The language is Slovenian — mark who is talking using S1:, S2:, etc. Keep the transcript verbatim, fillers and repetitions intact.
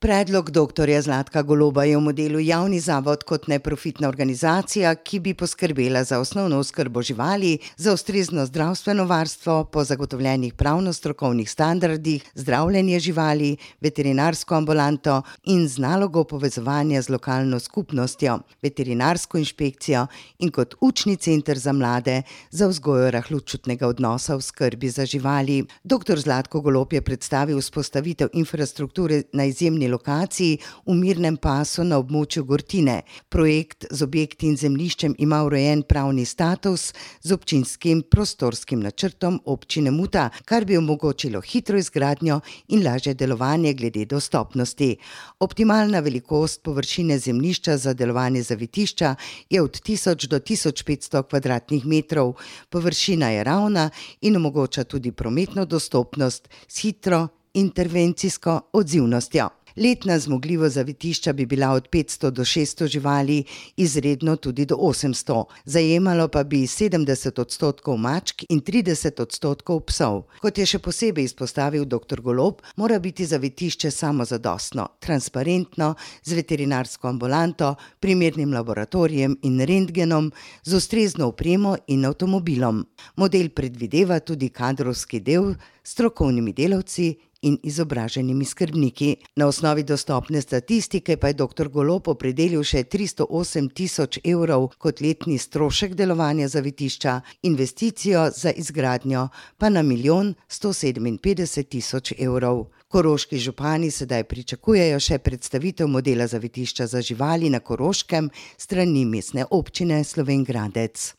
S1: Predlog doktorja Zlatka Goloba je v modelu javni zavod kot neprofitna organizacija, ki bi poskrbela za osnovno oskrbo živali, za ustrezno zdravstveno varstvo po zagotovljenih pravno-strokovnih standardih, zdravljenje živali, veterinarsko ambulanto in z nalogo povezovanja z lokalno skupnostjo, veterinarsko inšpekcijo in kot učni center za mlade za vzgojo rahločutnega odnosa v skrbi za živali. Doktor Zlatko Golob je predstavil vzpostavitev infrastrukture na izjemni lokaciji v mirnem pasu na območju Gortine. Projekt z objekti in zemljiščem ima urejen pravni status z občinskim prostorskim načrtom občine Muta, kar bi omogočilo hitro izgradnjo in lažje delovanje glede dostopnosti. Optimalna velikost površine zemljišča za delovanje zavetišča je od tisoč do tisoč petsto kvadratnih metrov. Površina je ravna in omogoča tudi prometno dostopnost s hitro intervencijsko odzivnostjo. Letna zmogljivost zavetišča bi bila od petsto do šeststo živali, izredno tudi do osemsto. Zajemalo pa bi sedemdeset odstotkov mačk in trideset odstotkov psov. Kot je še posebej izpostavil doktor Golob, mora biti zavetišče samozadostno, transparentno, z veterinarsko ambulanto, primernim laboratorijem in rentgenom, z ustrezno opremo in avtomobilom. Model predvideva tudi kadrovski del s strokovnimi delavci in izobraženimi skrbniki. Na osnovi dostopne statistike pa je doktor Golob opredelil še tristo osem tisoč evrov kot letni strošek delovanja zavetišča, investicijo za izgradnjo pa na milijon sto sedeminpetdeset tisoč evrov. Koroški župani sedaj pričakujejo še predstavitev modela zavetišča za živali na Koroškem s strani Mestne občine Slovenj Gradec.